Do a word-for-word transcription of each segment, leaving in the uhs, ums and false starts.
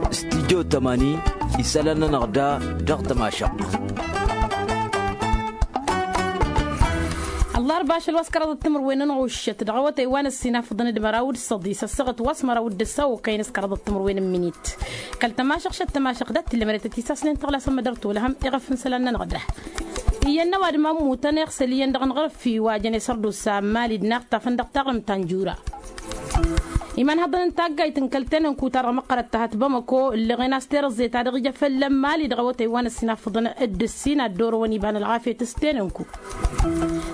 Studyo tămani isălan-nănăɣ da dăɣ-tămašăɣt. Ăllarba ašăl wa s-kăraḍăt timǝrwen n-ɣuššăt dăɣ-awătay wa n-ăssinafăḍăn d-măraw d-săḍis ăssaɣăt wa s-măraw d-ǝssa okăyăn s-kăraḍăt timǝrwen n-minit. Kăl-tămašăɣ šăt tămašăɣ dat-tǝllămăret ătisasnen tăɣlasăn mădăr tolăhăm iɣăf n-isălan-nănăɣ da. Iyyăn n-ăwadǝm a ǝmmutăn iɣsăl iyyăn dăɣ-năɣrǝf fi wa jăn isărdusa n-mali d-inaɣtafăn dăɣ-taɣrǝmt ta n-jura. Imanhăḍăn n-taggayt n-kăl-tenănku-ta-dăɣ măqqărăt tăhăt bamăko ǝllăɣen a-s terăẓẓe ta dăɣ-ija fălla n-mali dăɣ-awătay wa n-ăssinafăḍăn d-ǝssin ad-dd-orăwăn iba n-ălɣafyăt s-tenănku.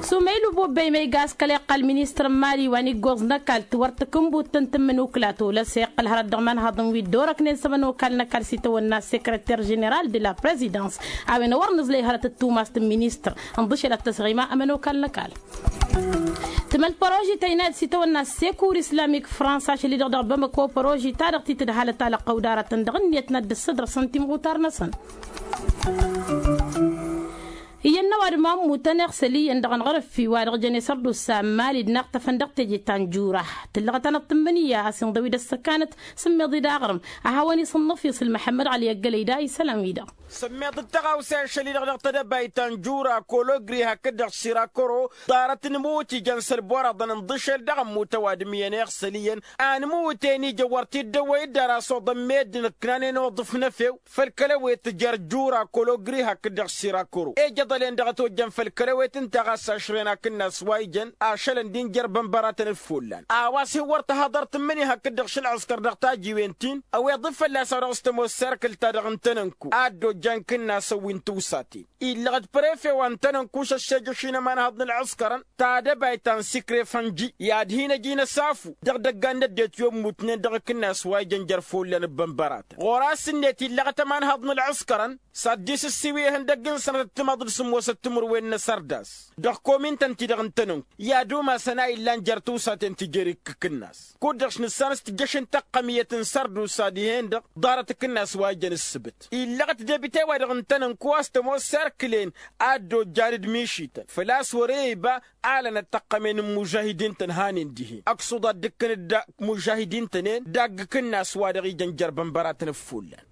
Sumăylu bobbe imăyga a-s kăl-iqqal ministăr n-mali wa n-iggoẓ n-ăkall tiwăr takǝnbut ta n-tǝmmǝnukla tolăs iqqăl hărăt dăɣ-imanhăḍăn wi dd-orăknen s-ămănokal n-ăkall s-itawănna s-sekreter ženeral de la prezidans a-wen a wăr nǝẓlăy hărăt d-tumast n-ministăr ǝnḍǝšel ad-tăsɣima ămănokal n-ăkall. Tǝmăl păroži tăynayăt s-itawănna s-sekur islamik fransa ašăl-i-dăɣ dăɣ-bamăko păroži-ta-dăɣ ti tǝdhalăt alăqqăw d-aratăn dăɣ-ǝnniyăt n-ad-dd-ăssădrăsăn timɣutar-năsăn. Iyyăn n-ăwadǝm a ǝmmutăn iɣsăl iyyăn dăɣ-ănɣărǝf fi-wa-dăɣ jăn isărdusa n-mali d-inaɣtăfăn dăɣ-teje ta n-jura. Tǝllăɣăt-anăɣ tǝmmǝnǝya a-s inḍăw-i d-ăssăkanăt sǝmmiḍ-i d-aɣrǝm a hawăn-isǝnnăf isǝl măḥămmăd ɣali ăggălăy da isălan-wi-dăɣ. Sǝmmiḍ d-tăɣawse ašăl-i-dăɣ dăɣ-tedăbayt ta n-jura kologri hakd-dăɣ sirakoro ḍarăt n-imǝwǝt ijăn s-ălboraḍăn ǝnḍǝšel dăɣ-ămmut ăwadǝm iyyăn iɣsăl iyyăn a ǝnmǝwǝten ija wăr t-dd-ăwwăy dd-ara s-oḍăn meddǝn ǝknanen oḍǝf n-efew făll-kăl-ewet jer-jura kologri hakd-dăɣ sirakoro ejăḍălen dăɣ-ătojjăn făll-kăl-ewet ǝnta ɣas ašren akǝnnas wa ijăn ašălăn din jer-bănbăratăn d-follan a-wa s-hin-wăr tăhaḍăr tǝmmǝni hakd-dăɣ šălɣǝskăr dăɣ-tajiwen-tin ăweḍ-dd fălla-s a-wa dăɣ-s tămoos serkǝl-ta-dăɣ n-tenănku a dd-ojjan kǝnnasăn wi n-tiwsaten illăɣ d-prefe wa n-tenănku šăššejăš-in ămanhaḍ n-ălɣǝskărăn tadăbayt ta n-sikrefănji i-ad-hin-ăj inăsafu dăɣ-idăggan n-ăddinăt wi ămmutnen dăɣ-akǝnnas wa ijăn jer-follan ăbbănbăratăn ɣur-asǝnnet illăɣăt ămanhaḍ n-ălɣǝskărăn s-ad-dd-isǝssiw ihăndăgg n-sănătăt timaḍ d-sǝmmosăt timǝrwen n-asărdas dăɣ-komintăn-ti-dăɣ n-tenănku i-ad-umasăn a illan jer-tiwsaten ti jer-ikkǝkǝnnas kud-dăɣ š-nǝssan s-tǝjjăšăn taqqămiyăt n-sărdusa dihen-dăɣ ḍarăt akǝnnas wa ijăn ǝssǝbǝt illăɣăt debite-wa-dăɣ n-tenănku a-s tămoos serkǝlen a dd-ojjan d-mišităn făl-a-s wăr-e iba alănăt taqqămen n-imužahidin-tăn hanen dihen ăksuḍ ad-dd-ǝkkǝnăt d-imužahidin-tăn-en dagg-akǝnnas wa dăɣ-ijăn jer-bănbăratăn d-follan.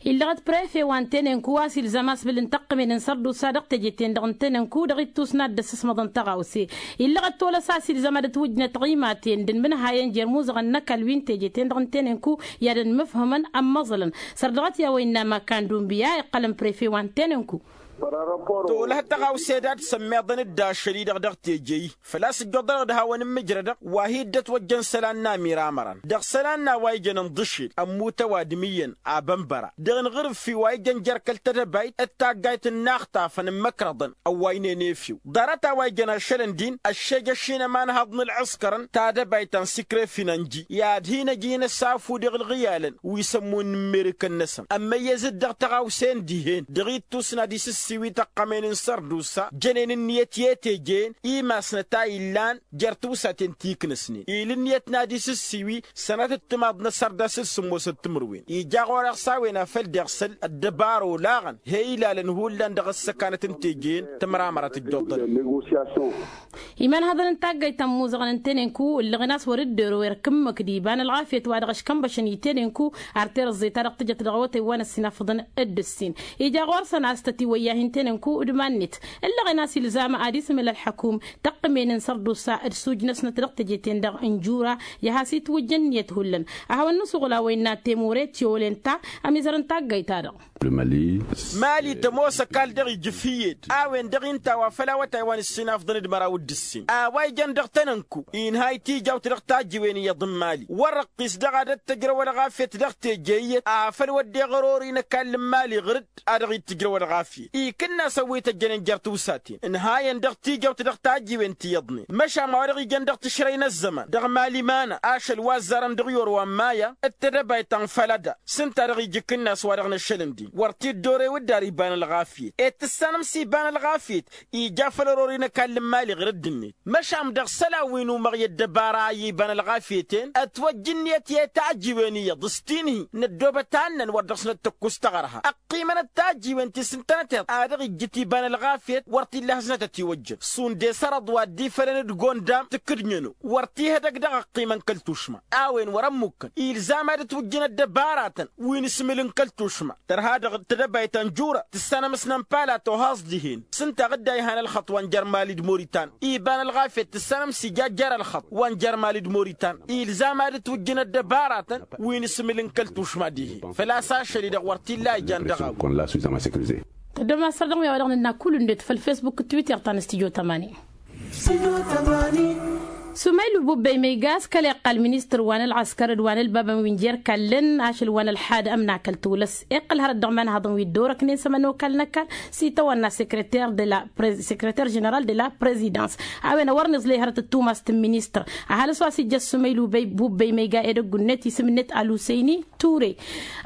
Illăɣăt prefe wa n-tenănku a-s ilzam asbǝl n-taqqămen n-sărdusa dăɣ-teje-ten-dăɣ n-tenănku dăɣ-ittus n-ad-dd-ăssăsmăḍăn tăɣawse illăɣăt tolăs a-s ilzam ad-ătwǝjnăt ɣimaten d-inmǝnhayăn jer-imuzăɣăn n-ăkall wi n-teje-ten-dăɣ n-tenănku i-ad-ănmǝfhǝmăn ămmăẓălăn sărdăɣăt i-a-wa innă makan dunbiya iqqălăn prefe wa n-tenănku. Tolăh tăɣawse dat-sămmeḍăn-dd ašăl-i-dăɣ dăɣ-teje-i făl-a-s ǝjjuḍănăɣ d-hawăn-ǝmmǝjrădăɣ wa hi-dd-ătwăjjăn isălan n-amiramărăn dăɣ-isălan n-a-wa ijăn ǝnḍǝšel ămmut ăwadǝm iyyăn abănbăra dăɣ-inɣǝrǝf fi wa ijăn jer-kăl-tedăbayt d-taggayt n-inaxtafăn n-imăkrăḍăn ăwwaynen efew ḍarăt a-wa ijăn ašălăn din ăššejăš-in ămanhăḍ n-ălɣǝskărăn tadăbayt ta n-sikrefin ănji i-ad-hin-ăj inăsafu dăɣ-ǝlɣǝyalăn wi s-ămmun n-immerǝkăn-năsăn ămmăyyăz-dd dăɣ-tăɣawse n-dihen dăɣ-ittus n-ad-isǝssiwi tăqqămen n-sărdusa jănen ǝnniyăt i-teje-en imasnăt a illan jer-tiwsaten ti iknăsnen il' ǝnniyăt n-ad-isǝssiwi sănatăt timaḍ n-asărdas d-sǝmmosăt timǝrwen ija ɣur-eɣ s-a-wen afăl d-iɣsăl ăddăbara olaɣăn he-ilalăn hullan dăɣ-ăssăkanăt n-teje-en tămramăra tǝjjăḍ-dăɣ. Imanhăḍăn n-taggayt ta n-imuzăɣăn n-tenenku ǝllăɣen a-s wăr-dd-ero erk ǝmmǝk d-iba n-ălɣafyăt wa dăɣ-ăškănbăšăn i-tenenku ar terăẓẓe-ta-dăɣ tǝjăt dăɣ-awătay wa n-ăssinafăḍăn d-ǝssin ija ɣur-săn a-s tătiwăyyahin tenenku d-iman-net ǝllăɣen a-s ilzam ad-isǝmǝl ălḥăkum tăqqǝmen n-sărdusa d-sujnăsnăt dăɣ-teje-ten-dăɣ n-jura i-ad-has-itwǝjj ǝnniyăt hullan ad-hawăn-nǝsuɣǝl a-wa innă temure tiyolen ta ămizăr n-taggayt-ta-dăɣ. Mali tămoos ăkall dăɣ-ijǝf iyyăt a-wen-dăɣ inta wa făl awătay wa n-ǝssinafḍăn d-măraw d-ǝssin a-wa ijăn dăɣ-tănănku inha itijawt dăɣ-tajǝwen iyyăḍ n-mali wăr-ăqqis dăɣ-ad-ăttăjrăw ălɣafyăt dăɣ-teje iyyăt afăl wădden ɣăr-ori n-ăkall n-mali ɣǝr-dd a dăɣ-ittǝjrăw ălɣafyăt ikǝnnas ăwwităjjănen jer-tiwsaten ǝnhayăn dăɣ-tijăwt dăɣ-tajjiwen ti iyyăḍnen măšan ma wa dăɣ-ijăn dăɣ-tǝšrăy n-ăzzăman dăɣ-mali mana ašăl wa ăzzarăn dăɣ-i orwa n-maya d-tedăbayt ta n-fălăda s-ǝnta dăɣ-ija ikǝnnas wa dăɣ-năššălăn din wăr t-dd-orew dd-ar iba n-ălɣafyăt ed tǝssanăm s-iba n-ălɣafyăt ija făll-ărori n-ăkall n-mali ɣǝr-dd. Măšan dăɣ-isălan wi n-umăɣ i-ăddăbara a iba n-ălɣafyăt-en ătwăjj ǝnniyăt i-tajiwen iyyăḍ s-tinhi n-ăddoobăt a ǝnnăn wăr dăɣ-snăt tǝkkus taɣărha. Ăqqimănăt tajiwen ti s-ǝntănăteḍ a dăɣ-ijjǝt iba n-ălɣafyăt wăr t-illa hasnăt ătiwăjjăn šund i-sărăḍ wa dd-ifălăn d-gondam tǝkkǝdnyăno wăr t-ihădăg dăɣ-ăqqimăn kăl-tušma. A-wen wăr-ămmukkăn ilzam ad-ǝtwǝjjǝn ăddăbaratăn wi n-asmǝl n-kăl-tušma tărha dăɣ-tedăbayt ta n-jura tǝssanăm s-nănpala tohaẓ dihen s-ǝnta a dd-a ihan ălxăṭṭ wa n-jer-mali d-moritan iba n-ălɣafyăt tǝssanăm s-ija jer-ălxăṭṭ wa n-jer-mali d-moritan ilzam ad-ǝtwǝjjǝn ăddăbaratăn wi n-asmǝl n-kăl-tušma dihen făl-a-s ašăl-i-dăɣ wăr t-illa a ijan dăɣ-a-wen. Tăddom asăr dăɣ-mi a-wa dăɣ-nǝnna kull-net făll-fesbuk d-twitter ta n-studyo tămani. Sumaylu bubbey ma iga a-s kăla iqqal ministăr wa n-ălɣăskăr d-wa n-ălbabăn wi n-jer-kallăn ašăl wa n-ălḥad ămnakăl tulăs iqqăl hărăt dăɣ-imanhaḍăn wi dd-orăknen s-ămănokal n-ăkall s-itawănna sekreter de la prez sekreter ženeral de la prezidans. A-wen a wăr n-iẓley hărăt d-tumast n-ministăr ăhalǝs wa s-ijjăš sumaylu bubbey ma iga edăgg-net isǝm-net ălusăyni ture.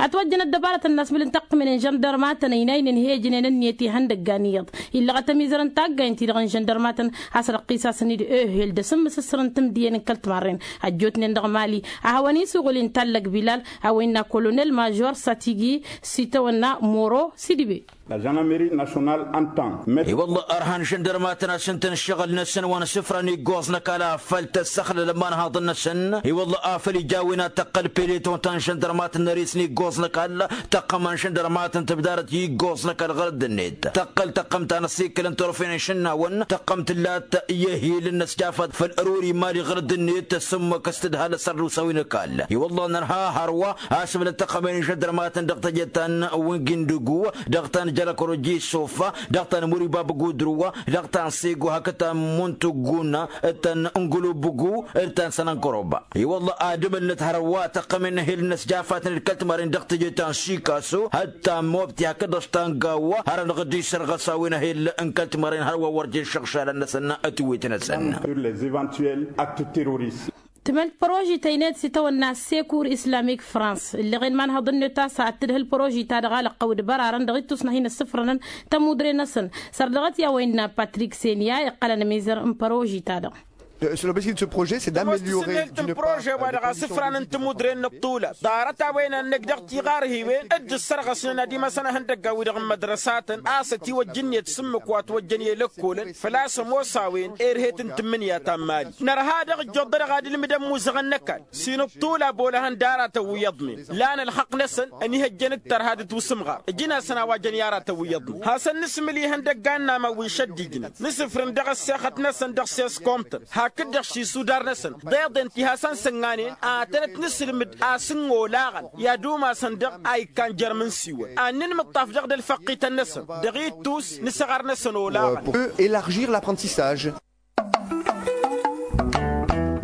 Ătwăjjăn ăddăbarătăn n-asmǝl n-taqqǝmen n-žăndărmatăn ăynaynen hi-ejnen ǝnniyăt ihăndăggan iyyăḍ illăɣăt ămizăr n-taggay ǝnta-i-dăɣ n-žăndărmatăn. Has-răqqis-asăn-dd ehel d-asǝmmǝsǝssǝr n-timǝdǝyăn n-kăl-timarren ăjjootnen dăɣ-mali a hawăn-in s-uɣǝl intallăg bilal a-wa innă kolonel mažor satigi s-itawănna moro sidibe. La žăndarmeri našonal ăntan. I-wălla ărhan žăndărmatăn a-s ǝnta n-ǝššăɣǝl-năsăn wa n-asǝfra n-iggoẓ n-ăkall afăl tăssăxlăl ămanhaḍăn-năsăn i-wălla afăl ija a-wen ad-tăqqăl peleton ta n-žăndărmatăn n-ăris n-iggoẓ n-ăkall tăqqămăn žăndărmatăn tǝbdarăt i-iggoẓ n-ăkall ɣărădd-net tăqqăl tăqqăm ta n-ăṣṣikkăl n-turfen n-išǝnnawăn tăqqăm tǝllat i-ehil n-ăsjafăt făll-ăruri mali ɣărădd-net s-ǝmmǝk s-tǝdhal ăssărdusa wi n-ăkall i-wălla nărha hărwa asǝbnăt tăqqămen žăndărmatăn dăɣ-teje ta n-wingindǝgu dăɣ-ta n-jălăkroj i-sofa dăɣ-ta n-muriba băgudrǝwa dăɣ-ta n-sego hakd ta n-muntuguna d-ta n-ǝngulubǝgu d-ta n-sănănkăroba i-wălla ad-ǝmǝlnăt hărwa tăqqămen n-ehel n-ăsjafatăn d-kăl-timarin dăɣ-teje ta n-sikaso hătta n-mobti hakd-dăɣ ta n-gawwa har ănɣăd-i sărɣăs a-wen ehel n-kăl-timarin hărwa wăr jen šăɣšalăn-năsăn ătwet-năsăn. Sur les eventuel act terorist. Tǝmăl părožităynet s-itawănna sekur islamik frans ǝlleɣen imanhăḍ-net a-s ad-tǝdhǝl părožita-dăɣ a lăqqăw d-bărarăn dăɣ-ittus n-ad-hin-ăssǝfrănăn tămudre-năsăn. Săr dăɣ-t i-a-wa innă patrik senya iqqălăn ămizăr n-părožita-dăɣ. Tămoos tǝsǝnnelt n-părože-wa-dăɣ asǝfran n-tămudre n-ăṭṭulal ḍarăt-a-wen a n-năj dăɣ-tiɣarhiwen dd-ǝssărɣăsnen ad-imasăn ihăndăggan-wi-dăɣ n-mădrăsatăn a-s ătiwăjj ǝnniyăt s-ǝmmǝk wa ătwăjjăn i-lăkkolăn făl-a-s ămoos a-wen erhet n-tǝmmǝnǝya ta n-mali nărha dăɣ-ǝjjoḍ-dăɣ ad-ǝlmǝdăn imuzăɣăn n-ăkall s-inǝṭṭula bolăhăn d-aratăn wi iyyăḍnen lan ălxăqq-năsăn ănihăjjăn d-tărha d-tusǝmɣar ǝjǝn-asăn a-wa jăn i-aratăn wi iyyăḍnen hasăn-nǝsmǝl ihăndăggan n-aman wi išăddijnen nǝsǝfrǝn dăɣ-ăssexăt-năsăn dăɣ-seskomtăn hakd-dăɣ s-isudar-năsăn d-eḍen ti hasăn-sǝnnanen ad-tănăt-nǝsǝlmǝd a-s n-olaɣăn i-ad-umasăn dăɣ-a ikkan jer-imǝnsiwăn ad-nǝnmǝṭṭaf dăɣ-dd-ălfăqqităn-năsăn dăɣ-ittus n-isăɣar-năsăn olaɣăn. Eux élargir l'apprentissage.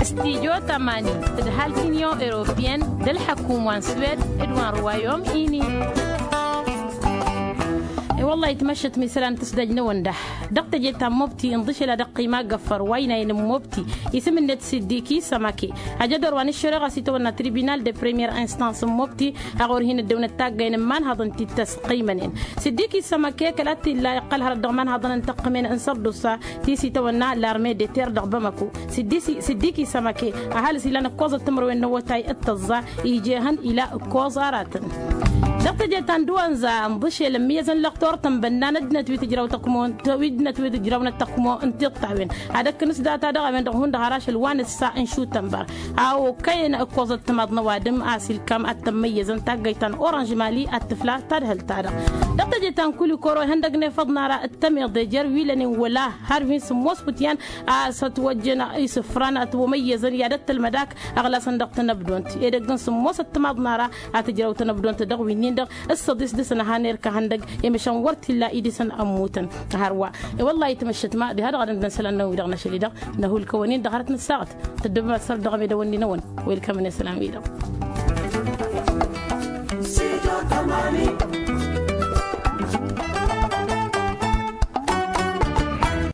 Studyo tămani tǝdhal t-inyon europeyăn d-ălḥăkum wa n-swed d-wa n-ruwayom ini. I-wăllah itmăššăt misălan tǝsdăj-năwăn da dăɣ-teje ta n-mobti ǝnḍǝšel ad-ăqqima găffăr wa ăynayăn n-mobti isǝm-net siddiki sămake ajădor wa n-ǝššăreɣa s-itawănna tribunal de premiyer instans n-mobti a ɣur-hin-ăddăwnăt taggăyăn n-imanhăḍăn ti t-ăsqimănen siddiki sămake kăla t-illa iqqăl hărăt dăɣ-imanhăḍăn n-tăqqǝmen n-sărdusa ti s-itawănna larme de ter dăɣ-bamako siddiki sămake ăhalǝs ilan ǝkkoẓăt timǝrwen n-awătay d-tăẓẓa ije ehăn ila ǝkkoẓ aratăn. Dăɣ-teje ta n-dăwănza ǝnḍǝšel ămmǝyyăzăn lăxtor tănbănna n-ăddinăt wi tǝjraw tăkmo wi ăddinăt wi tǝjrawnăt tăkmo n-tiṭṭawen ad-ăkkǝnǝs data dăɣ-a-wen-dăɣ hundăɣ har ašăl wa n-ǝssa n-šutănbar a okăyăn ǝkkoẓăt timaḍ n-ăwadǝm a-s ilkam ad-tămmăyyăzăn taggăyt ta n-oranž mali ad-tǝfla tadhǝlt-ta-dăɣ. Dăɣ-teje ta n-kulikoro ihăndăgg n-efăḍ n-ara d-tămiḍe jer-wi lănen wăla har wi n-sǝmmos wǝtyan a-s ătwăjjăn isǝfran ătwămăyyăzăn i-ad-ăttălmăd ak ăɣlasăn dăɣ-tanăbdont edăgg n-sǝmmosăt timaḍ n-ara ad-tǝjrăw tanăbdont dăɣ-winnin-dăɣ ǝssăḍis dăɣ-săn ad-han-erk ahăndăgg i-măšan wăr t-illa idisăn ămmutăn. Hărwa i-wăllah itmăššăt ma diha-dăɣ ad-ăndăn isălan-năwăn wi-dăɣ n-ašăl-i-dăɣ năhulkăwăn-in-dăɣ hărăt n-ăssaɣăt tăddobăm ad-săr dăɣ-amedăwăn-ni-năwăn. Welkămăn isălan-wi-dăɣ.